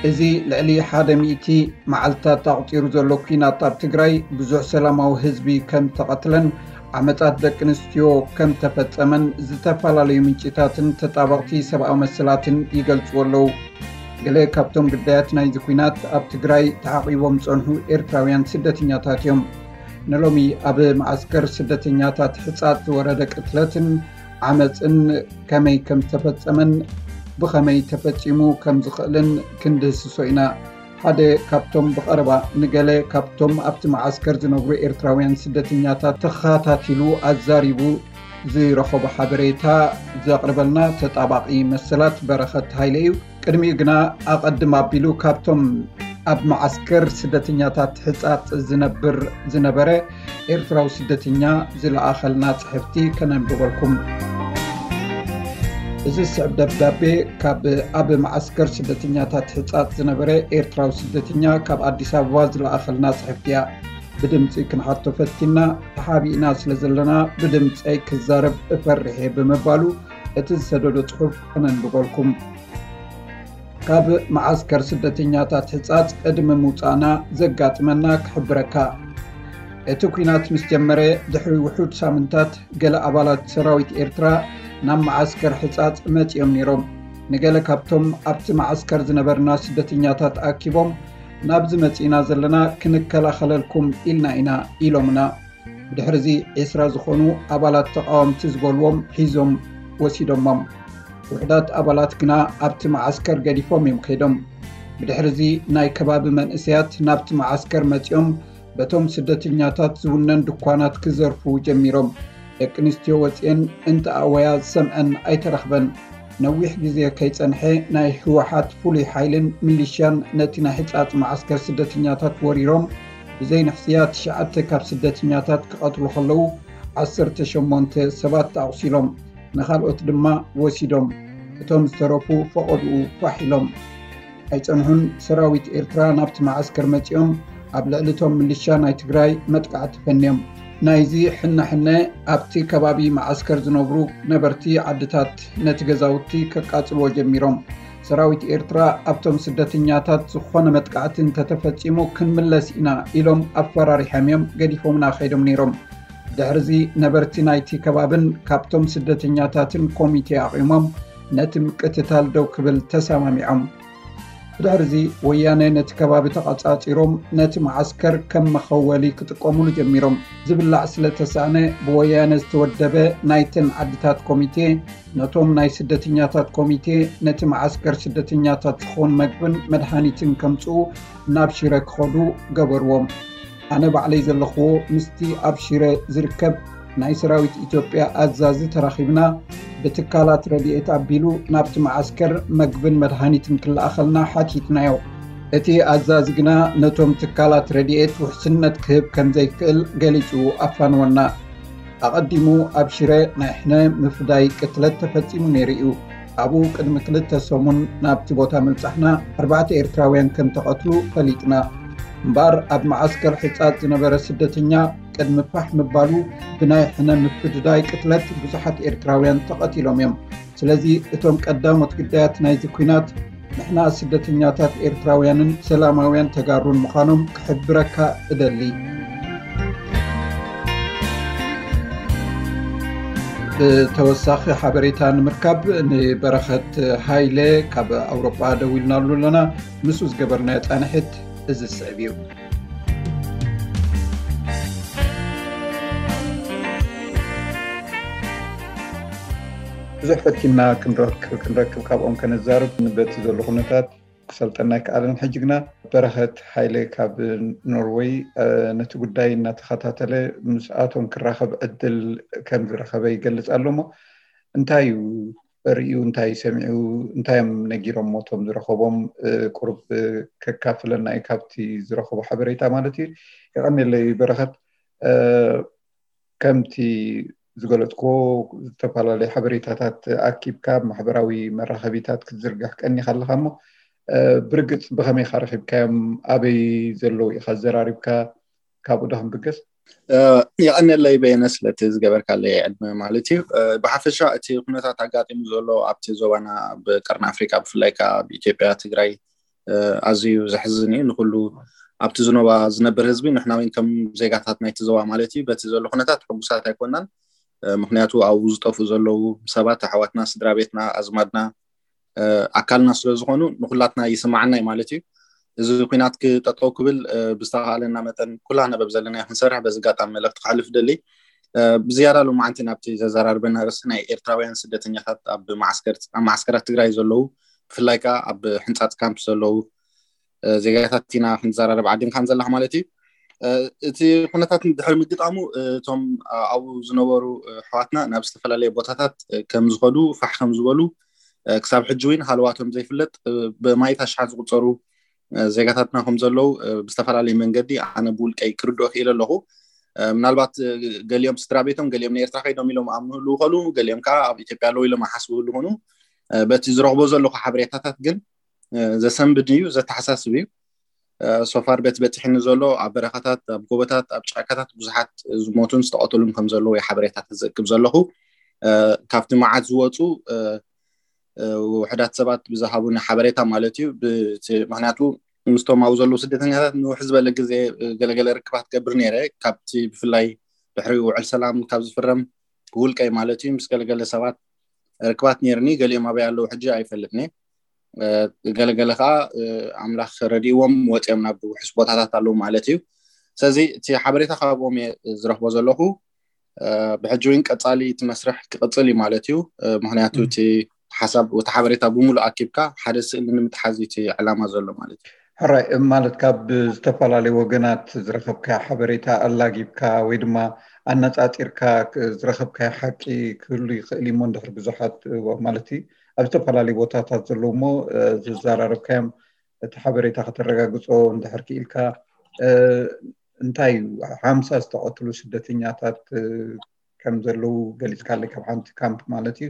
እዚ ልዕሊ ሓደ ሚእቲ መዓልታት ኣቑጺሩ ዘሎ ኲናት ኣብ ትግራይ ብዙሕ ሰላማዊ ህዝቢ ከም ተቐትለን ዓመጻት ደቂ ኣንስትዮ ከም ተፈጸመን ዝተፈላለዩ ምንጭታትን ተጣበቕቲ ሰብኣዊ መሰላትን ይገልጽዎ ኣለዉ። ገለ ካብቶም ግዳያት ናይዚ ኲናት ኣብ ትግራይ ተዓቒቦም ዝጸንሑ ኤርትራውያን ስደተኛታት እዮም። ንሎሚ ኣብ መዓስከር ስደተኛታት ሕጻጽ ዝወረደ ቅትለትን ዓመጽን ከመይ ከም ዝተፈጸመን ብኸመይ ተፈጺሙ ከም ዝኽእልን ክንድህስሶ ኢና። ሓደ ካብቶም ብቐረባ ንገለ ካብቶም ኣብቲ መዓስከር ዝነብሩ ኤርትራውያን ስደተኛታት ተኸታቲሉ ኣዛሪቡ ዝረኸቦ ሓበሬታ ዘቕርበልና ተጣባቒ መሰላት በረኸት ሃይለ እዩ። ቅድሚኡ ግና ኣቐድም ኣቢሉ ካብቶም ኣብ መዓስከር ስደተኛታት ሕጻጽ ዝነብር ዝነበረ ኤርትራዊ ስደተኛ ዝለኣኸልና ጽሕፍቲ ከነንብበልኩም። እዚ ዝስዕብ ደብዳቤ ካብ ኣብ መዓስከር ስደተኛታት ሕጻጽ ዝነበረ ኤርትራዊ ስደተኛ ካብ ኣዲስ ኣበባ ዝለኣኸልና ጽሕፍቲ እያ። ብድምጺ ክንሓቶ ፈቲና፣ ተሓቢእና ስለ ዘለና ብድምጸይ ክዛረብ እፈርሕ እየ ብምባሉ እቲ ዝሰደዶ ጽሑፍ ከነንብበልኩም። ካብ መዓስከር ስደተኛታት ሕጻጽ ቅድሚ ምውጻእና ዘጋጥመና ክሕብረካ። እቲ ኲናት ምስ ጀመረ ድሕሪ ውሑድ ሳምንታት ገለ ኣባላት ሰራዊት ኤርትራ ናብ መዓስከር ሕጻጽ መጺኦም ነይሮም። ንገለ ካብቶም ኣብቲ መዓስከር ዝነበርና ስደተኛታት ኣኪቦም ናብዚ መጺእና ዘለና ክንከላኸለልኩም ኢልና ኢና ኢሎምና። ብድሕርዚ ዒስራ ዝኾኑ ኣባላት ተቓወምቲ ዝበልዎም ሒዞም ወሲዶሞም። ውሑዳት ኣባላት ግና ኣብቲ መዓስከር ገዲፎም እዮም ከይዶም። ብድሕርዚ ናይ ከባቢ መንእሰያት ናብቲ መዓስከር መጺኦም በቶም ስደተኛታት ዝውነን ድኳናት ክዘርፉ ጀሚሮም። ደቂ ኣንስትዮ ወጺኤን እንተኣወያ ዝሰምዐን ኣይተረኽበን። ነዊሕ ግዜ ከይጸንሐ ናይ ህወሓት ፍሉይ ሓይልን ሚሊሽያን ነቲ ናይ ሕጻጽ መዓስከር ስደተኛታት ወሪሮም ብዘይንሕስያ ትሽዓተ ካብ ስደተኛታት ክቐትሉ ከለዉ ዓሰርተ ሸሞንተ ሰባት ኣቑሲሎም፣ ንኻልኦት ድማ ወሲዶም። እቶም ዝተረፉ ፈቐድኡ ፋሕ ኢሎም። ኣይጸንሑን ሰራዊት ኤርትራ ናብቲ መዓስከር መጺኦም ኣብ ልዕሊ እቶም ሚሊሻ ናይ ትግራይ መጥቃዕቲ ፈንዮም። ናይዚ ሕነ ሕነ ኣብቲ ከባቢ መዓስከር ዝነብሩ ነበርቲ ዓድታት ነቲ ገዛውቲ ከቃጽልዎ ጀሚሮም። ሰራዊት ኤርትራ ኣብቶም ስደተኛታት ዝኾነ መጥቃዕቲ እንተተፈጺሙ ክንምለስ ኢና ኢሎም ኣፈራሪሖም እዮም ገዲፎምና ከይዶም ነይሮም። ድሕርዚ ነበርቲ ናይቲ ከባብን ካብቶም ስደተኛታትን ኮሚቴ ኣቒሞም ነቲ ምቅትታል ደው ክብል ተሰማሚዖም። ብድሕርዚ ወያነ ነቲ ከባቢ ተቐጻጺሮም ነቲ መዓስከር ከም መኸወሊ ክጥቀሙሉ ጀሚሮም። ዝብላዕ ስለ ተሳእነ ብወያነ ዝተወደበ ናይተን ዓድታት ኮሚቴ ነቶም ናይ ስደተኛታት ኮሚቴ ነቲ መዓስከር ስደተኛታት ዝኸውን መግብን መድሃኒትን ከምጽኡ ናብ ሽረ ክኸዱ ገበርዎም። ኣነ ባዕለይ ዘለኽዎ ምስቲ ኣብ ሽረ ዝርከብ ናይ ሰራዊት ኢትዮጵያ ኣዛዚ ተራኺብና ብትካላት ረድኤት ኣቢሉ ናብቲ መዓስከር መግብን መድሃኒትን ክለኣኸልና ሓቲትናዮ። እቲ ኣዛዚ ግና ነቶም ትካላት ረድኤት ውሕስነት ክህብ ከም ዘይክእል ገሊጹ ኣፋንወና። ኣቐዲሙ ኣብ ሽረ ናይ ሕነ ምፍዳይ ቅትለት ተፈጺሙ ነይሩ እዩ። ኣብኡ ቅድሚ ክልተ ሰሙን ናብቲ ቦታ ምብጻሕና ኣርባዕተ ኤርትራውያን ከም ተቐትሉ ፈሊጥና። እምበኣር ኣብ መዓስከር ሕጻጽ ዝነበረ ስደተኛ ቅድሚ ፋሕ ምባሉ ብናይ ሕነ ምፍድዳይ ቅትለት ብዙሓት ኤርትራውያን ተቐቲሎም እዮም። ስለዚ እቶም ቀዳሞት ግዳያት ናይዚ ኲናት ንሕና ስደተኛታት ኤርትራውያንን ሰላማውያን ተጋሩን ምዃኖም ክሕብረካ እደሊ። ብተወሳኺ ሓበሬታ ንምርካብ ንበረኸት ሃይለ ካብ ኣውሮጳ ደዊልናሉ ኣለና። ምስኡ ዝገበርናዮ ጻንሒት እዚ ዝስዕብ እዩ። ብዙሕ ፈቲና ክንረክብ ክንረክብ ካብኦም ከነዛርብ በቲ ዘሎ ኩነታት ክሰልጠና ኣይከኣለን። ሕጂ ግና በረኸት ሃይለ ካብ ኖርወይ፣ እ፣ ነቲ ጉዳይ እናተኸታተለ ምስኣቶም ክራኸብ ዕድል ከም ዝረኸበ ይገልጽ ኣሎ። እሞ እንታይ እዩ ርእዩ፣ እንታይ ሰሚዑ፣ እንታይ እዮም ነጊሮሞ እቶም ዝረኸቦም፣ እ፣ ቁሩብ፣ እ፣ ከካፍለና እዩ ካብቲ ዝረኸቦ ሓበሬታ ማለት እዩ። የቐንየለይ በረኸት። እ፣ ከምቲ ዝገለጽክዎ ዝተፈላለዩ ሓበሬታታት ኣኪብካ ኣብ ማሕበራዊ መራኸቢታት ክትዝርግሕ ቀኒኻ ኣለኻ። እሞ፣ እ፣ ብርግጽ ብኸመይ ኢኻ ረኺብካዮም? ኣበይ ዘለዉ ኢኻ ኣዘራሪብካ? ካብኡ ዶ ክንብገስ? እ፣ የቐንየለይ በየነ ስለቲ ዝገበርካለይ ዕድመ ማለት እዩ። እ፣ ብሓፈሻ እቲ ኩነታት ኣጋጢሙ ዘሎ ኣብቲ ዞባና ኣብ ቀርኒ ኣፍሪቃ ብፍላይ ከኣ ኣብ ኢትዮጵያ፣ ትግራይ፣ ኣዝዩ ዘሕዝን እዩ። ንኩሉ ኣብቲ ዝኖባ ዝነብር ህዝቢ፣ ንሕና እውን ከም ዜጋታት ናይቲ ዞባ ማለት እዩ፣ በቲ ዘሎ ኩነታት ሕጉሳት ኣይኮናን። ምክንያቱ ኣብኡ ዝጠፍኡ ዘለዉ ሰባት ኣሕዋትና፣ ስድራ ቤትና፣ ኣዝማድና፣ ኣካልና ስለ ዝኾኑ ንኩላትና ይስማዓና እዩ ማለት እዩ። እዚ ኩናት ክጠጠው ክብል ብዝተኻእለና መጠን ኩላና በብ ዘለናዮ ክንሰርሕ በዚ ኣጋጣሚ መልእኽቲ ከሕልፍ ደሊ። ብዝያዳ ሎማዓንቲ ናብቲ ዘዘራርበና ርእሲ ናይ ኤርትራውያን ስደተኛታት ኣብ ማዓስከራት ትግራይ ዘለዉ፣ ብፍላይ ከዓ ኣብ ሕንፃፅ ካምፕ ዘለዉ ዜጋታት ኢና ክንዘራረብ ዓዲምካን ዘለኻ ማለት እዩ። እቲ ኩነታት ድሕሪ ምግጣሙ እቶም ኣብኡ ዝነበሩ ኣሕዋትና ናብ ዝተፈላለየ ቦታታት ከም ዝኸዱ ፋሕ ከም ዝበሉ፣ ክሳብ ሕጂ እውን ሃለዋቶም ዘይፍለጥ ብማይት ኣሽሓት ዝቁፀሩ ዜጋታትና ከም ዘለዉ ብዝተፈላለየ መንገዲ ኣነ ብውልቀይ ክርድኦ ክኢለ ኣለኹ። ምናልባት ገሊኦም ስድራ ቤቶም፣ ገሊኦም ንኤርትራ ከይዶም ኢሎም ኣብ ምህሉ ይኸሉ፣ ገሊኦም ከዓ ኣብ ኢትዮጵያ ኣለዉ ኢሎም ኣሓስቡ ይኾኑ። በቲ ዝረኽቦ ዘለኹ ሓበሬታታት ግን ዘሰንብድ እዩ፣ ዘተሓሳስብ እዩ። ሶፋር ቤት በፂሕኒ ዘሎ ኣብ በረኻታት፣ ኣብ ጎቦታት፣ ኣብ ጫካታት ብዙሓት ዝሞቱን ዝተቐተሉን ከም ዘለዉ ሓበሬታታት ዘእክብ ዘለኹ። ካብቲ መዓት ዝወፁ ውሕዳት ሰባት ብዝሃቡኒ ሓበሬታ ማለት እዩ። ምክንያቱ ምስቶም ኣብኡ ዘለዉ ስደተኛታት ንውሕ ዝበለ ግዜ ገለገለ ርክባት ገብር ነይረ። ካብቲ ብፍላይ ድሕሪ ውዕል ሰላም ካብ ዝፍረም ብውልቀይ ማለት እዩ ምስ ገለገለ ሰባት ርክባት ነይርኒ። ገሊኦም ኣበይ ኣለዉ ሕጂ ኣይፈልጥኒ። ገለገለ ከዓ ኣምላኽ ረድእዎም ወፂኦም ናብ ውሕስ ቦታታት ኣለዉ ማለት እዩ። ስለዚ እቲ ሓበሬታ ካብኦም እየ ዝረኽቦ ዘለኹ። ብሕጂ እውን ቀፃሊ እቲ መስርሕ ክቕፅል እዩ ማለት እዩ። ምክንያቱ እቲ ሓሳብ፣ እቲ ሓበሬታ ብምሉእ ኣኪብካ ሓደ ስእሊ ንምትሓዝ እዩ እቲ ዕላማ ዘሎ ማለት እዩ። ሕራይ፣ ማለት ካብ ዝተፈላለዩ ወገናት ዝረኸብካዮ ሓበሬታ ኣላጊብካ ወይ ድማ ኣነፃፂርካ ዝረኸብካዮ ሓቂ ክህሉ ይኽእል እዩ እሞ፣ እንድሕር ብዙሓት ማለት እዩ ኣብ ዝተፈላለዩ ቦታታት ዘለዉ እሞ ዝዘራረብካዮም እቲ ሓበሬታ ከተረጋግፆ እንድሕር ክኢልካ፣ እንታይ እዩ ሓምሳ ዝተቐትሉ ስደተኛታት ከም ዘለዉ ገሊፅካለይ፣ ካብ ሓንቲ ካምፕ ማለት እዩ።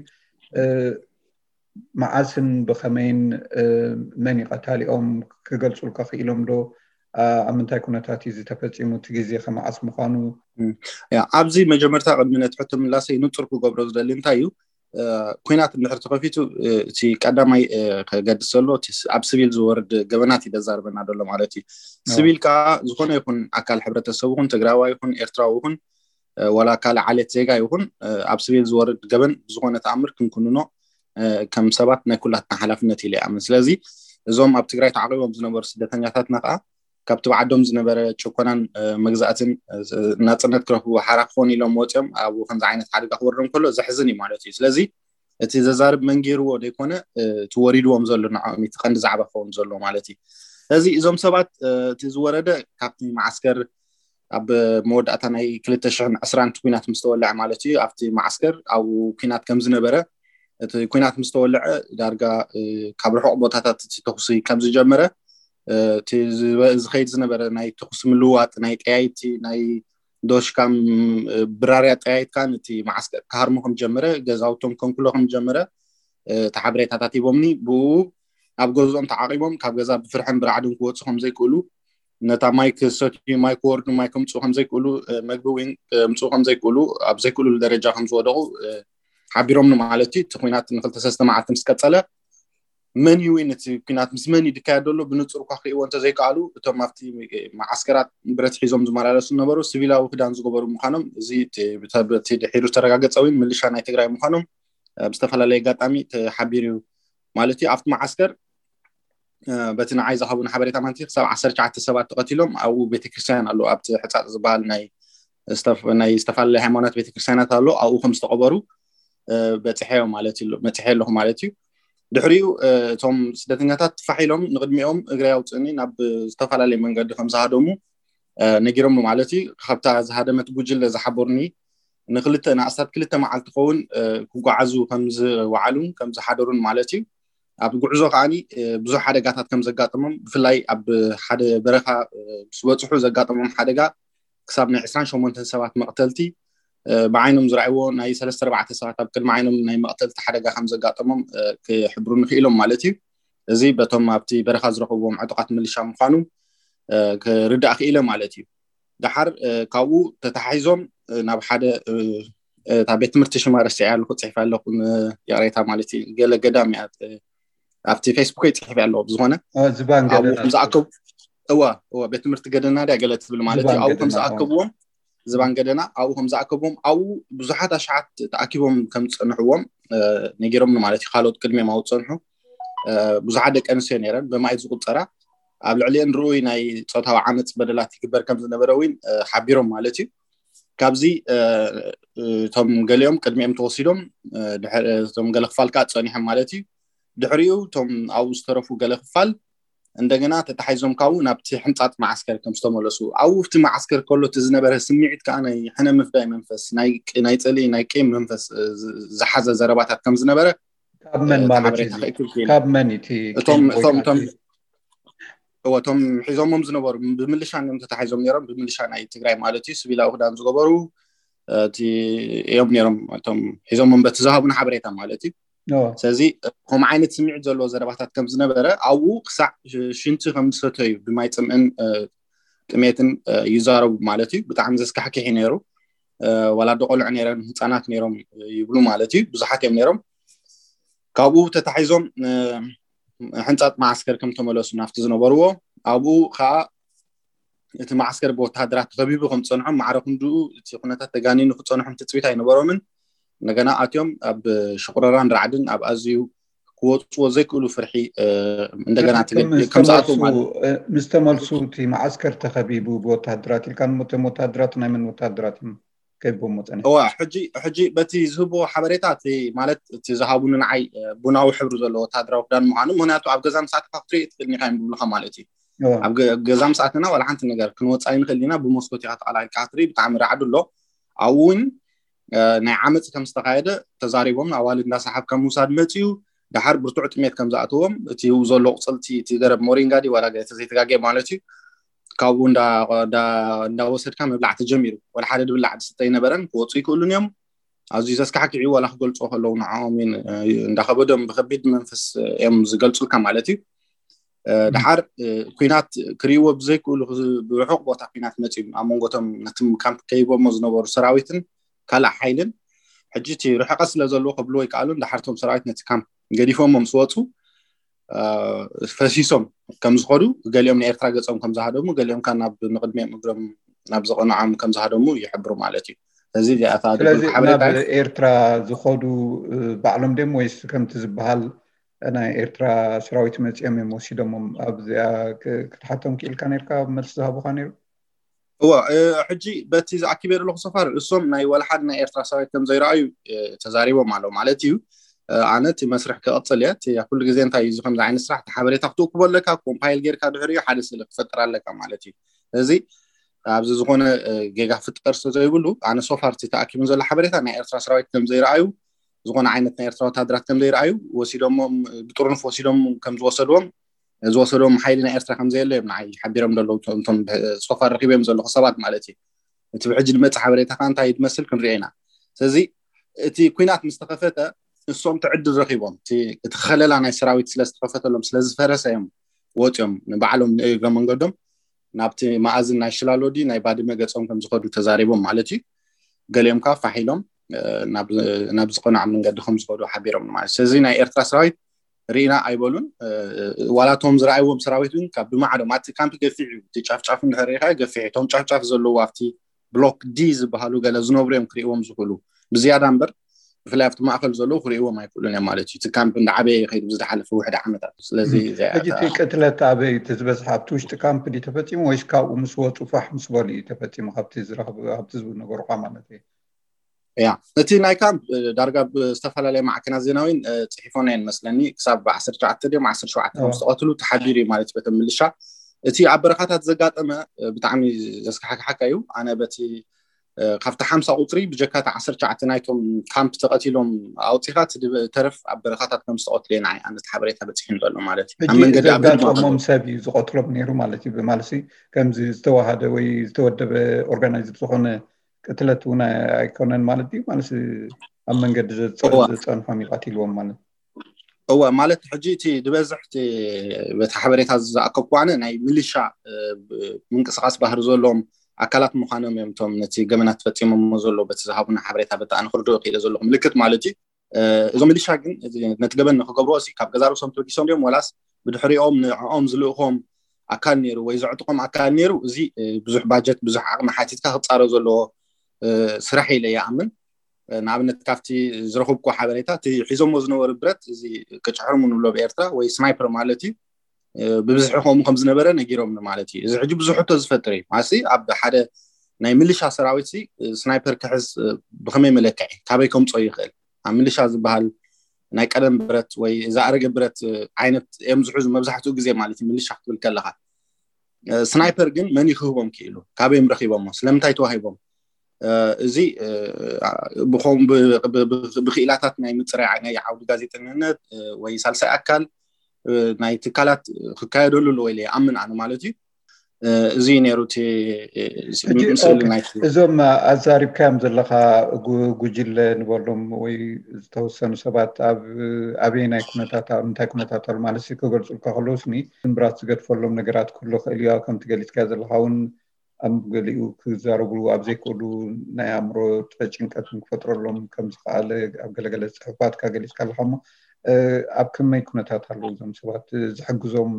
መዓስን ብኸመይን መን እዩ ቀታሊኦም ክገልፁልካ ክኢሎም ዶ? ኣብ ምንታይ ኩነታት እዩ ዝተፈፂሙ? እቲ ግዜ ከመዓስ ምዃኑ? ያ፣ ኣብዚ መጀመርታ ቅድሚ ነቲ ሕቶ ምላሰይ ንፁር ክገብሮ ዝደሊ እንታይ እዩ፣ ኩናት እንድሕር ተኸፊቱ እቲ ቀዳማይ ከገድስ ዘሎ እቲ ኣብ ስቪል ዝወርድ ገበናት እዩ ዘዛርበና ዘሎ ማለት እዩ። ስቪል ከዓ ዝኾነ ይኹን ኣካል ሕብረተሰብ ይኹን ትግራዋይ ይኹን ኤርትራዊ ይኹን ዋላ ካልእ ዓሌት ዜጋ ይኹን ኣብ ስቪል ዝወርድ ገበን ብዝኾነ ተኣምር ክንኩንኖ ከም ሰባት ናይ ኩላትና ሓላፍነት ኢለ ይኣምን። ስለዚ እዞም ኣብ ትግራይ ተዓቂቦም ዝነበሩ ስደተኛታትና ከዓ ካብቲ ብዓዶም ዝነበረ ጭኮናን መግዛእትን ናፅነት ክረኽቡ ሓራ ክኾኑ ኢሎም ወፂኦም ኣብኡ ከምዚ ዓይነት ሓደጋ ክወርዶም ከሎ ዘሕዝን እዩ ማለት እዩ። ስለዚ እቲ ዘዛርብ መን ገይርዎ ዘይኮነ እቲ ወሪድዎም ዘሎ ንዕኦም እቲ ቀንዲ ዛዕባ ክኸውን ዘሎ ማለት እዩ። ስለዚ እዞም ሰባት እቲ ዝወረደ ካብቲ መዓስከር ኣብ መወዳእታ ናይ ክልተ ሽሕን ዕስራን ኩናት ምስ ተወልዐ ማለት እዩ ኣብቲ መዓስከር ኣብኡ ኩናት ከም ዝነበረ፣ እቲ ኩናት ምስ ተወልዐ ዳርጋ ካብ ርሑቕ ቦታታት እቲ ተኹሲ ከም ዝጀመረ፣ እቲ ዝኸይድ ዝነበረ ናይ ተኹሲ ምልውዋጥ ናይ ጠያይቲ ናይ ዶሽካም ብራርያ ጠያይትካ ነቲ መዓስከር ክሃርሞ ከም ጀመረ፣ ገዛውቶም ከንኩሎ ከም ጀመረ እቲ ሓበሬታታት ሂቦምኒ። ብኡ ኣብ ገዝኦም ተዓቂቦም ካብ ገዛ ብፍርሕን ብራዕድን ክወፁ ከም ዘይክእሉ፣ ነታ ማይ ክሰትዩ ማይ ክወርዱ ማይ ከምፅኡ ከም ዘይክእሉ፣ መግቢ እውን ከምፅኡ ከም ዘይክእሉ፣ ኣብ ዘይክእሉሉ ደረጃ ከም ዝወደቑ ሓቢሮምኒ ማለት እዩ። እቲ ኩናት ንክልተ ሰለስተ መዓልቲ ምስ ቀፀለ መን እዩ ወይ ነቲ ኩናት ምስ መን እዩ ዝካየድ ዘሎ ብንፁር እኳ ክርእይዎ እንተዘይከኣሉ፣ እቶም ኣብቲ መዓስከራት ብረት ሒዞም ዝመላለሱ ነበሩ ሲቪላዊ ክዳን ዝገበሩ ምዃኖም፣ እዚ በቲ ድሒሩ ዝተረጋገፀ እውን ምልሻ ናይ ትግራይ ምዃኖም ብዝተፈላለየ ኣጋጣሚ ተሓቢሩ እዩ ማለት እዩ። ኣብቲ መዓስከር በቲ ንዓይ ዝሃቡን ሓበሬታ ማለት ክሳብ ዓሰርተ ትሽዓተ ሰባት ተቐቲሎም ኣብኡ ቤተክርስትያን ኣሎ ኣብቲ ሕፃፅ ዝበሃል ናይ ዝተፈላለዩ ሃይማኖት ቤተክርስትያናት ኣሎ ኣብኡ ከም ዝተቐበሩ በፅሐዮ ማለት እዩ መፅሐ ኣለኹ ማለት እዩ። ድሕሪኡ እቶም ስደተኛታት ፋሕ ኢሎም ንቅድሚኦም እግሪ ኣውፅእኒ ናብ ዝተፈላለየ መንገዲ ከም ዝሃደሙ ነጊሮም ማለት እዩ። ካብታ ዝሃደመት ጉጅለ ዝሓበሩኒ ንክልተ ንኣስታት ክልተ መዓልቲ ኸውን ክጓዓዙ ከም ዝወዓሉን ከም ዝሓደሩን ማለት እዩ። ኣብ ጉዕዞ ከዓኒ ብዙሕ ሓደጋታት ከም ዘጋጠሞም ብፍላይ ኣብ ሓደ በረኻ ምስ በፅሑ ዘጋጠሞም ሓደጋ ክሳብ ናይ ዕስራን ሸሞንተን ሰባት መቕተልቲ ብዓይኖም ዝረኣይዎ ናይ ሰለስተ ኣርባዕተ ሰባት ኣብ ቅድሚ ዓይኖም ናይ መቕተልቲ ሓደጋ ከም ዘጋጠሞም ክሕብሩ ንክኢሎም ማለት እዩ። እዚ በቶም ኣብቲ በረኻ ዝረኸብዎም ዕጡቓት ምልሻ ምዃኑ ክርዳእ ክኢለ ማለት እዩ። ደሓር ካብኡ ተታሒዞም ናብ ሓደ እታ ቤት ትምህርቲ ሽማ ረሲዐ ኣለኹ ፅሒፈ ኣለኹ ይቕሬታ ማለት እዩ ገለ ገዳም እያ ኣብቲ ፌስቡክ ይፅሒፍ ኣለዎ ብዝኾነ ዝባን ኣብኡ ገደና ከም ዝኣከቡ እዋ እዋ ቤት ትምህርቲ ገደና ድያ ገለ ትብል ማለት እዩ ዝባን ኣብኡ ከም ገደና ዝኣከብዎም ዝባን ገደና ኣብኡ ከም ዝኣከብዎም ኣብኡ ብዙሓት ኣሽሓት ተኣኪቦም ከም ዝፀንሕዎም ነጊሮም ማለት እዩ። ካልኦት ቅድሚኦም ኣብኡ ዝፀንሑ ብዙሓት ደቂ ኣንስትዮ ነይረን ብማየት ዝቁፀራ ኣብ ልዕሊአን ርኡይ ናይ ፆታዊ ዓመፅ በደላት ይግበር ከም ዝነበረ እውን ሓቢሮም ማለት እዩ። ካብዚ እቶም ገሊኦም ቅድሚኦም ተወሲዶም እቶም ገለ ክፋል ከዓ ፀኒሖም ማለት እዩ። ድሕሪኡ እቶም ኣብኡ ዝተረፉ ገለ ክፋል እንደገና ተታሒዞም ካብኡ ናብቲ ሕንፃፅ መዓስከር ከም ዝተመለሱ ኣብኡ ኣብቲ መዓስከር ከሎ እቲ ዝነበረ ስምዒት ከዓ ናይ ሕነ ምፍዳይ መንፈስ ናይ ፅልኢ ናይ ቂም መንፈስ ዝሓዘ ዘረባታት ከም ዝነበረ ካብ መን ማለት እዩ? ካብ መን እቲ እቶም እቶም እቶም እቶም ሒዞሞም ዝነበሩ ብምልሻ እዮም ተታሒዞም ነይሮም። ብምልሻ ናይ ትግራይ ማለት እዩ። ስቪላዊ ክዳን ዝገበሩ እዮም ነይሮም እቶም ሒዞሞም በቲ ዝሃቡና ሓበሬታ ማለት እዩ። ስለዚ ከም ዓይነት ስምዒት ዘለዎ ዘረባታት ከም ዝነበረ ኣብኡ ክሳዕ ሽንቲ ከም ዝሰተዩ ብማይ ፅምእን ጥሜትን ይዛረቡ ማለት እዩ። ብጣዕሚ ዘስካሕክሕ ነይሩ። ዋላ ዶ ቆልዑ ነይረን ህፃናት ነይሮም ይብሉ ማለት እዩ። ብዙሓት እዮም ነይሮም። ካብኡ ተታሒዞም ሕንፃጥ መዓስከር ከም ተመለሱ ናብቲ ዝነበርዎ ኣብኡ ከዓ እቲ መዓስከር ብወተሃደራት ተኸቢቡ ከም ዝፀንሖም ማዕረ ክንድኡ እቲ ኩነታት ተጋኒኑ ክፀንሖም ትፅቢት ኣይነበሮምን። እንደገና ኣትዮም ኣብ ሽቁረራን ራዕድን ኣብ ኣዝዩ ክወፅዎ ዘይክእሉ ፍርሒ እንደገና ከም ዝኣትዉ ማለት ምስ ተመልሱ እቲ መዓስከር ተኸቢቡ ብወተሃደራት ኢልካ እቶም ወተሃደራት ናይ መን ወተሃደራት እዮም ከቢቦም መፀነ? እዋ ሕጂ ሕጂ በቲ ዝህብዎ ሓበሬታ እቲ ማለት እቲ ዝሃቡኒ ንዓይ ቡናዊ ሕብሪ ዘለዎ ወተሃደራዊ ክዳን ምዃኑ ምክንያቱ ኣብ ገዛ ምስ ኣተካ ክትርኢ ትኽእል ኒካ እዮም ዝብሉካ ማለት እዩ። ኣብ ገዛ ምስ ኣተና ዋላ ሓንቲ ነገር ክንወፅእ ኣይንኽእል ኢና ብመስኮት ኢካ ተቐላቂልካ ክትርኢ ብጣዕሚ ራዕዲ ኣሎ። ኣብኡ እውን ናይ ዓመፅ ከም ዝተካየደ ተዛሪቦም ኣዋልድ እንዳሰሓብካ ምውሳድ መፅዩ። ደሓር ብርቱዕ ጥሜት ከም ዝኣትዎም እቲ ዘሎ ቁፅልቲ እቲ ገረብ ሞሪንጋ ድዩ ዋላ ገለ ተዘይተጋግየ ማለት እዩ ካብኡ እንዳወሰድካ ምብላዕ ተጀሚሩ። ወላ ሓደ ድብላዕ ዝስተ ኣይነበረን። ክወፁ ይክእሉን እዮም። ኣዝዩ ዘስካሕክዕ እዩ። ዋላ ክገልፅዎ ከለዉ ንዕኦም እንዳከበዶም ብከቢድ መንፈስ እዮም ዝገልፁልካ ማለት እዩ። ደሓር ኩናት ክርእይዎ ብዘይክእሉ ብርሑቕ ቦታ ኩናት መፅዩ ኣብ መንጎቶም ነቲ ካምፕ ከይቦሞ ዝነበሩ ሰራዊትን ካልእ ሓይልን ሕጂ እቲ ርሕቀት ስለ ዘለዎ ከብልዎ ይከኣሉን። ደሓር እቶም ሰራዊት ነቲ ካምፕ ገዲፎሞ ምስ ወፁ ፈሲሶም ከም ዝኸዱ ገሊኦም ንኤርትራ ገፆም ከም ዝሃደሙ ገሊኦም ከዓ ናብ ንቅድሚኦም እግሮም ናብ ዘቐንዖም ከም ዝሃደሙ ይሕብሩ ማለት እዩ። ስለዚ እዚኣታ ስለዚ ድብል ሓበሬታ ናብ እዩ። ኤርትራ ዝኸዱ ባዕሎም ድዮም ወይስ ከምቲ ዝበሃል ናይ ኤርትራ ሰራዊት መፂኦም እዮም ወሲዶሞም? ኣብዚኣ ክ- ክትሓቶም ክኢልካ ነርካ መልሲ ዝሃቡካ ነይሩ? እወ ሕጂ በቲ ዝኣኪበ ዘለኹ ሰፋር እሶም ናይ ወላ ሓደ ናይ ኤርትራ ሰራዊት ከም ዘይረኣዩ ተዛሪቦም ኣለዉ ማለት እዩ። ኣነ እቲ መስርሕ ክቐፅል እየ። እቲ ኩሉ ግዜ እንታይ እዩ እዚ ከምዚ ዓይነት ስራሕ እቲ ሓበሬታ ክትእክቦ ኣለካ። ኮምፓይል ጌርካ ድሕሪኡ ሓደ ስእሊ ክፈጥር ኣለካ ማለት እዩ። እዚ ኣብዚ ዝኾነ ጌጋ ፍጠር ስለ ዘይብሉ ኣነ ሶፋር እቲ ተኣኪቡን ዘሎ ሓበሬታ ናይ ኤርትራ ሰራዊት ከም ዘይረኣዩ ዝኾነ ዓይነት ናይ ኤርትራ ወታደራት ከም ዘይረኣዩ ወሲዶሞም ብጥርኑፍ ወሲዶም ከም ዝወሰድዎም ዝወሰድዎም ሓይሊ ናይ ኤርትራ ከም ዘየለ እዮም ንዓይ ሓቢሮም ዘለዉ እቶም ሶፋር ረኪቦም ዘለኹ ሰባት ማለት እዩ። እቲ ብሕጂ ዝመፅእ ሓበሬታ ከዓ እንታይ ዝመስል ክንሪኦ ኢና። ስለዚ እቲ ኩናት ምስ ተኸፈተ ንሶም እቲ ዕድል ረኪቦም እቲ ከለላ ናይ ሰራዊት ስለዝተኸፈተሎም ስለዝፈረሰ እዮም ወፂኦም ንባዕሎም ንእግረ መንገዶም ናብቲ መኣዝን ናይ ሽላሎ ድዩ ናይ ባድመ ገፆም ከም ዝኸዱ ተዛሪቦም ማለት እዩ። ገሊኦም ከዓ ፋሕ ኢሎም ናብ ዝቐንዖም መንገዲ ከም ዝኸዱ ሓቢሮም ማለት እዩ። ስለዚ ናይ ኤርትራ ሰራዊት ርኢና ኣይበሉን። ዋላ እቶም ዝረኣይዎም ሰራዊት እውን ካብ ብማዕዶም ኣቲ ካምፕ ገፊሕ እዩ እቲ ጫፍጫፍ እንድሕር ሪኢኻ ገፊሕ እዩ። እቶም ጫፍጫፍ ዘለዉ ኣብቲ ብሎክ ዲ ዝበሃሉ ገለ ዝነብሩ እዮም ክርእይዎም ዝኽእሉ ብዝያዳ እምበር ብፍላይ ኣብቲ ማእኸል ዘለዉ ክርእይዎም ኣይክእሉን እዮም ማለት እዩ። እቲ ካምፕ እንዳዓበየ ይኸይድ ብዝሓለፈ ውሕድ ዓመታት። ስለዚ እዚኣ ሕጂ እቲ እታ ቅትለት ኣበይ እቲ ዝበዝሐ ኣብቲ ውሽጢ ካምፕ ድዩ ተፈፂሙ ወይስ ካብኡ ምስ ወፁ ፋሕ ምስ በሉ እዩ ተፈፂሙ? ካብቲ ዝረኽብ ኣብቲ ዝነገሩካ ማለት እዩ። ያ እቲ ናይ ካምፕ ዳርጋ ብዝተፈላለየ ማዕከናት ዜናዊን ፅሒፎና እየን መስለኒ ክሳብ ዓሰርተ ትሽዓተ ድዮም ዓሰርተ ሸውዓተ ከም ዝተቐትሉ ተሓቢሩ እዩ ማለት በቶም ምልሻ። እቲ ኣብ በረኻታት ዘጋጠመ ብጣዕሚ ዘስካሕክሓካ እዩ። ኣነ በቲ ካብቲ ሓምሳ ቁፅሪ ብጀካ እቲ ዓሰርተ ትሽዓተ ናይቶም ካምፕ ተቐቲሎም ኣውፂኻ እቲ ተረፍ ኣብ በረኻታት ከም ዝተቐትሉ እየ ንዓይ ኣነት ሓበሬታ በፂሑ ዘሎ ማለት እዩ። ኣብ ሕጂ መንገዲ ኣብ ዘጋጠሞም ሰብ እዩ ዝቐትሎም ነይሩ ማለት እዩ። ብማለሲ ከምዚ ዝተዋሃደ ወይ ዝተወደበ ኦርጋናይዝድ ዝኾነ ቅትለት እውን ኣይኮነን ማለት ድዩ? ማለት ኣብ መንገዲ እዋ። ዝፀንሖም እዩ ቀቲልዎም ማለት እወ ማለት ሕጂ እቲ ዝበዝሕ እቲ በቲ ሓበሬታ ዝኣከብኩ ኣነ ናይ ሚሊሻ ምንቅስቃስ ባህሪ ዘለዎም ኣካላት ምዃኖም እዮም እቶም ነቲ ገበናት ፈፂሞሞ ዘሎ በቲ ዝሃቡና ሓበሬታ በቲ ኣነ ክርድኦ ክኢለ ዘለኹ ምልክት ማለት እዩ። እዞም ሚሊሻ ግን ነቲ ገበን ንክገብርዎ ሲ ካብ ገዛ ርእሶም ተበጊሶም ድዮም ወላስ ብድሕሪኦም ንዕኦም ዝልእኾም ኣካል ነይሩ ወይ ዘዕጥቆም ኣካል ነይሩ? እዚ ብዙሕ ባጀት ብዙሕ ዓቕሚ ሓቲትካ ክፃረብ ዘለዎ ስራሕ ኢለ ይኣምን። ንኣብነት ካብቲ ዝረኽብኩ ሓበሬታ እቲ ሒዞሞ ዝነበሩ ብረት እዚ ቅጭሕርሙ ንብሎ ብኤርትራ ወይ ስናይፐር ማለት እዩ ብብዝሒ ከምኡ ከም ዝነበረ ነጊሮም ማለት እዩ። እዚ ሕጂ ብዙሕ ሕቶ ዝፈጥር እዩ። ማሲ ኣብ ሓደ ናይ ሚሊሻ ሰራዊት ሲ ስናይፐር ክሕዝ ብኸመይ መለክዒ ካበይ ከምፅኦ ይኽእል? ኣብ ሚሊሻ ዝበሃል ናይ ቀደም ብረት ወይ ዝኣረገ ብረት ዓይነት እዮም ዝሕዙ መብዛሕትኡ ግዜ ማለት እዩ። ሚሊሻ ክትብል ከለኻ ስናይፐር ግን መን እዩ ክህቦም ክኢሉ? ካበዮም ረኺቦሞ? ስለምንታይ ተዋሂቦም? እዚ ብኸም ብክኢላታት ናይ ምፅራይ ናይ ዓውዲ ጋዜጠኝነት ወይ ሳልሳይ ኣካል ናይ ትካላት ክካየደሉ ኣለዎ ኢለ ይኣምን ኣነ ማለት እዩ። እዚ ነይሩ እቲ እዞም ኣዛሪብካዮም ዘለካ ጉጅለ ንበሎም ወይ ዝተወሰኑ ሰባት ኣብ ኣበየናይ ኩነታት ኣብ እንታይ ኩነታት ኣሎ ማለት ክገልፁልካ ከለውስኒ ስምብራት ዝገድፈሎም ነገራት ክህሉ ክእል እዩ። ከምቲ ገሊፅካ ዘለካ እውን ኣብ ገሊኡ ክዛረቡ ኣብ ዘይክእሉ ናይ ኣእምሮ ጭንቀትን ክፈጥረሎም ከም ዝከኣለ ኣብ ገለገለ ፅሑፋትካ ገሊፅካ ኣለካ። እሞ ኣብ ከመይ ኩነታት ኣለዉ እዞም ሰባት? ዝሕግዞም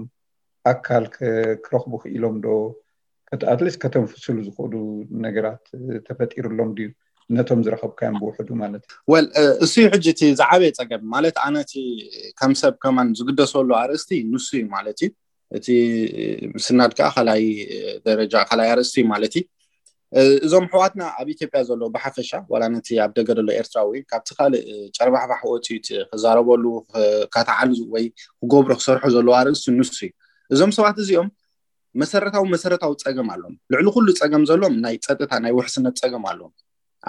ኣካል ክረኽቡ ክኢሎም ዶ? ኣትሊስት ከተንፍስሉ ዝኽእሉ ነገራት ተፈጢሩሎም ድዩ? ነቶም ዝረኸብካዮም ብውሕዱ ማለት እዩ። ወል እሱ ሕጂ እቲ ዝዓበየ ፀገም ማለት ኣነ እቲ ከም ሰብ ከማን ዝግደሰሉ ኣርእስቲ ንሱ እዩ ማለት እዩ። እቲ ምስናድ ከዓ ካልኣይ ደረጃ ካልኣይ ኣርእስቲ ማለት እዩ። እዞም ኣሕዋትና ኣብ ኢትዮጵያ ዘሎ ብሓፈሻ ዋላ ነቲ ኣብ ደገ ዘሎ ኤርትራዊ ካብቲ ካልእ ጨርባሕባሕ ወፂኡ ክዛረበሉ ከተዓልዙ ወይ ክገብሮ ክሰርሑ ዘለዎ ኣርእስቲ ንሱ እዩ። እዞም ሰባት እዚኦም መሰረታዊ መሰረታዊ ፀገም ኣለዎም። ልዕሊ ኩሉ ፀገም ዘለዎም ናይ ፀጥታ ናይ ውሕስነት ፀገም ኣለዎም።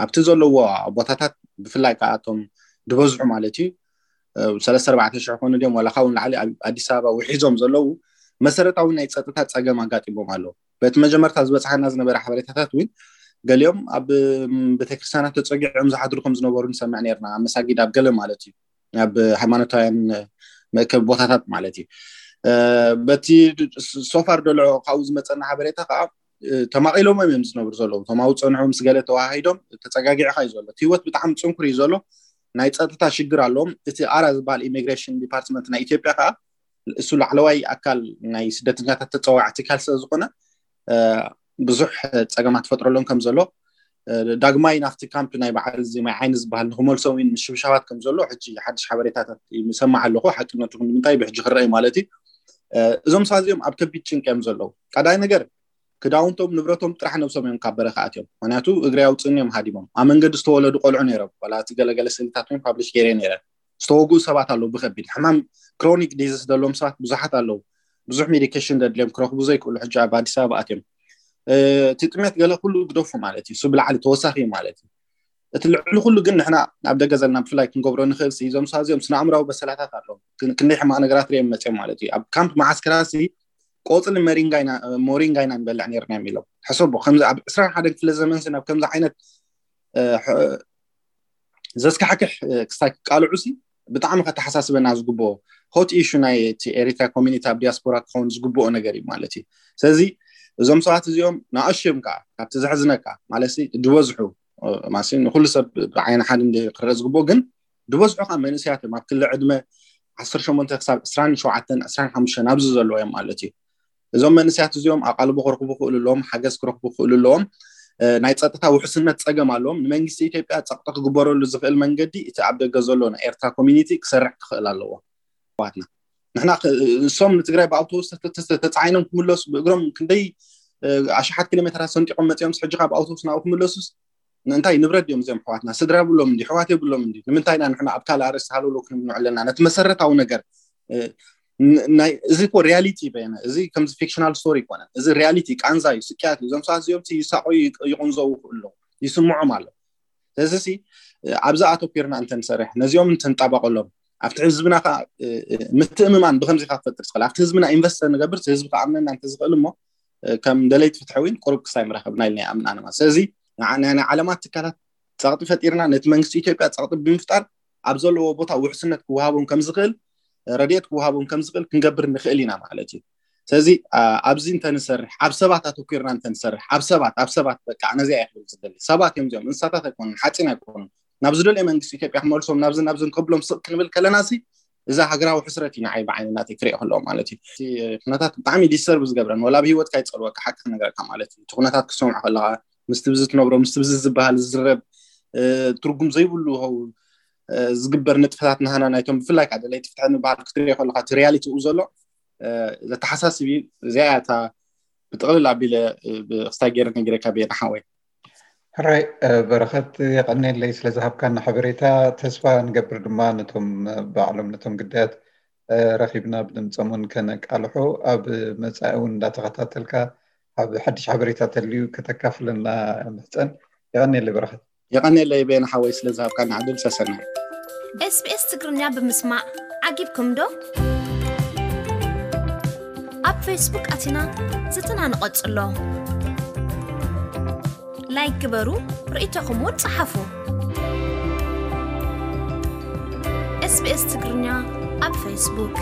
ኣብቲ ዘለዎ ቦታታት ብፍላይ ከዓ እቶም ዝበዝሑ ማለት እዩ ሰለስተ ኣርባዕተ ሽሕ ኮኑ ድዮም ዋላ ካብኡ ንላዕሊ ኣብ ኣዲስ ኣበባ ውሒዞም ዘለዉ መሰረታዊ ናይ ፀጥታ ፀገም ኣጋጢሞም ኣለዉ። በቲ መጀመርታ ዝበፅሓና ዝነበረ ሓበሬታታት እውን ገሊኦም ኣብ ቤተክርስትያናት ተፀጊዖም ዝሓድሩ ከም ዝነበሩ ንሰምዕ ነርና ኣብ መሳጊድ ኣብ ገለ ማለት እዩ ኣብ ሃይማኖታውያን መእከቢ ቦታታት ማለት እዩ። በቲ ሶፋር ደሎ ካብኡ ዝመፀና ሓበሬታ ከዓ ተማቒሎሞም እዮም ዝነብሩ ዘለዉ። እቶም ኣብኡ ፀንሑ ምስ ገለ ተዋሃሂዶም ተፀጋጊዕካ እዩ ዘሎ። እቲ ህይወት ብጣዕሚ ፅንኩር እዩ ዘሎ። ናይ ፀጥታ ሽግር ኣለዎም። እቲ ኣራ ዝበሃል ኢሚግሬሽን ዲፓርትመንት ናይ ኢትዮጵያ ከዓ እሱ ላዕለዋይ ኣካል ናይ ስደተኛታት ተፀዋዕ ትካል ስለ ዝኾነ ብዙሕ ፀገማት ፈጥረሎም ከም ዘሎ ዳግማይ ናብቲ ካምፕ ናይ በዓል እዚ ማይ ዓይኒ ዝበሃል ንክመልሶም እዩ ምሽብሻባት ከም ዘሎ ሕጂ ሓድሽ ሓበሬታታት ይሰማዕ ኣለኹ። ሓቅነቱ ክንዲ ምንታይ ብሕጂ ክረአ ማለት እዩ። እዞም ሰባት እዚኦም ኣብ ከቢድ ጭንቂ እዮም ዘለዉ። ቀዳይ ነገር ክዳውንቶም ንብረቶም ጥራሕ ነብሶም እዮም ካብ በረኻ ኣትዮም። ምክንያቱ እግሪ ኣውፅእኒ እዮም ሃዲሞም። ኣብ መንገዲ ዝተወለዱ ቆልዑ ነይሮም። ዋላ እቲ ገለገለ ስእልታት እውን ፓብሊሽ ገይረ ነይረ። ዝተወግኡ ሰባት ኣለዉ ብከቢድ ሕማም ክሮኒክ ዲዚስ ዘለዎም ሰባት ብዙሓት ኣለዉ። ብዙሕ ሜዲኬሽን ዘድልዮም ክረኽቡ ዘይክእሉ ሕጂ ኣብ ኣዲስ ኣበባ ኣትዮም። እቲ ጥሜት ገለ ኩሉ ግደፉ ማለት እዩ። እሱ ብላዕሊ ተወሳኺ እዩ ማለት እዩ። እቲ ልዕሊ ኩሉ ግን ንሕና ኣብ ደገ ዘለና ብፍላይ ክንገብሮ ንኽእል ሲ እዞም ሰባት እዚኦም ስነ ኣእምራዊ በሰላታት ኣለዎም። ክን- ክንደይ ሕማቕ ነገራት ሪኦም መፅዮም ማለት እዩ። ኣብ ካምፕ መዓስከራ ሲ ቆፅሊ መሪንጋ ኢና ሞሪንጋ ኢና ንበልዕ ነርና እዮም ኢሎም። ሕሰቦ ከምዚ ኣብ ዕስራን ሓደን ክፍለ ዘመን ሲ ናብ ከምዚ ዓይነት እ፣ ሕ- ዘስካሕክሕ እ፣ ክስታይ ክቃልዑ ሲ ብጣዕሚ ከተሓሳስበና ዝግብኦ ሆት ኢሹ ናይ እቲ ኤሪትራ ኮሚኒቲ ኣብ ዲያስፖራ ክኸውን ዝግብኦ ነገር እዩ ማለት እዩ። ስለዚ እዞም ሰባት እዚኦም ንኣሽዮም ከዓ ካብቲ ዘሕዝነካ ማለት ሲ ዝበዝሑ እ፣ ማለት ሲ ንኩሉ ሰብ ብዓይኒ ሓደ እንዲ ክረአ ዝግብኦ ግን ዝበዝሑ ከዓ መንእሰያት እዮም ኣብ ክሊ ዕድመ ዓሰርተ ሸሞንተ ክሳብ ዕስራን ሸውዓተን ዕስራን ሓሙሽተን ኣብዚ ዘለዉ እዮም ማለት እዩ። እዞም መንእሰያት እዚኦም ኣቓልቦ ክረኽቡ ክእሉ ኣለዎም፣ ሓገዝ ክረኽቡ ክእሉ ኣለዎም። እ፣ ናይ ፀጥታ ውሕስነት ፀገም ኣለዎም። ንመንግስቲ ኢትዮጵያ ፀቕጢ ክግበረሉ ዝኽእል መንገዲ እቲ ኣብ ደገ ዘሎ ናይ ኤርትራ ኮሚኒቲ ክሰርሕ ክኽእል ኣለዎ። ኣሕዋትና ንሕና ክ- እሶም ንትግራይ ብኣውቶቡስ ተ- ተ- ተ- ተፃዒኖም ክምለሱ ብእግሮም ክንደይ እ፣ ኣሽሓት ኪሎ ሜትራት ሰንጢቆም መፂኦም ሕጂ ካብ ኣውቶቡስ ናብኡ ክምለሱስ ንእንታይ ንብረት ድዮም እዚኦም ኣሕዋትና? ስድራ የብሎም እንዲ ሕዋት የብሎም እንዲ ንምንታይ ኢና ንሕና ኣብ ካልእ ኣርእስቲ ሃለውለው ክንብል ንውዕል ኣለና? ነቲ መሰረታዊ ነገር እ፣ ን- ናይ እዚ እኮ ሪያሊቲ በየነ እዚ ከምዚ ፊክሽናል ስቶሪ ይኮነን። እዚ ሪያሊቲ ቃንዛ እዩ፣ ስቅያት እዩ። እዞም ሰባት እዚኦም ሲ ይሳቆዩ ይቅ- ይቁንዘው ይኽእሉ ኣለዉ፣ ይስምዖም ኣሎ። ስለዚ ሲ እ፣ ኣብዚ ኣተኩርና እንተንሰርሕ ነዚኦም እንተንጣባቀሎም ኣብቲ ህዝብና ከዓ እ፣ እ፣ ምትእምማን ብከምዚ ከዓ ክፈጥር ዝኽእል ኣብቲ ህዝብና ኢንቨስት ንገብር ህዝቢ ከኣምነና እንተዝኽእል እሞ እ፣ ከም ደለይቲ ፍትሒ እውን ቁሩብ ክሳይ ምረኸብና ኢልና ይኣምን ኣነ ማለት ስለዚ ንዓ- ናይ ናይ ዓለማት ትካላት ፀቕጢ ፈጢርና ነቲ መንግስቲ ኢትዮጵያ ፀቕጢ ብምፍጣር ኣብ ዘለዎ ቦታ ውሕስነት ክወሃቦም ከም ዝኽእል ረድኤት ክወሃቦም ከም ዝኽእል ክንገብር ንኽእል ኢና ማለት እዩ። ስለዚ ኣ- ኣብዚ እንተንሰርሕ ኣብ ሰባት ኣተኩርና እንተንሰርሕ ኣብ ሰባት ኣብ ሰባት በቃ ነዚኣ እየ ክብል ዝደሊ ሰባት እዮም እዚኦም እንስሳታት ኣይኮኑን ሓፂን ኣይኮኑን ናብ ዝደልዮ መንግስቲ ኢትዮጵያ ክመልሶም ናብዚ ናብዚ ከብሎም ስቕ ክንብል ከለና ሲ እዛ ሃገራዊ ሕስረት እዩ ንዓይ ብዓይኒ ናተይ ክሪኦ ከለዎ ማለት እዩ። እቲ ኩነታት ብጣዕሚ ዲስተርብ ዝገብረን ወላ ብህይወትካ ይፀልወካ ሓቂ ክነግረካ ማለት እዩ። እቲ ኩነታት ክሰምዖ ከለካ ምስቲ ብዚ ትነብሮ ምስቲ ብዚ ዝበሃል ዝዝረብ ትርጉም ዘይብሉ ዝግበር ንጥፈታት ናህና ናይቶም ብፍላይ ከዓ ደለይቲ ፍትሒ ንበሃል ክትሪኦ ከለካ እቲ ሪያሊቲ ኡ ዘሎ ዘተሓሳስብ እዩ። እዚኣ እታ ብጥቕልል ኣቢለ ብክስታይ ገይረ ነጊረካ ብየ ንሓወይ። ሕራይ በረኸት የቐኔለይ ስለ ዝሃብካና ሓበሬታ። ተስፋ ንገብር ድማ ነቶም ባዕሎም ነቶም ግዳያት ረኺብና ብድምፆም እውን ከነቃልሖ ኣብ መፃኢ እውን እንዳተኸታተልካ ኣብ ሓድሽ ሓበሬታ ተልዩ ከተካፍለና ምሕፀን። የቐኔለይ በረኸት። የቐኔለይ ቤን ሓወይ ስለ ዝሃብካና ዕድል ሰሰናይ። ኤስቢኤስ ትግርኛ ብምስማዕ ዓጊብኩም ዶ? ኣብ ፌስቡክ ኣቲና ዝትና ንቐጽሎ። ላይክ ግበሩ፣ ርእይቶኹም እውን ጸሓፉ። ኤስቢኤስ ትግርኛ ኣብ ፌስቡክ።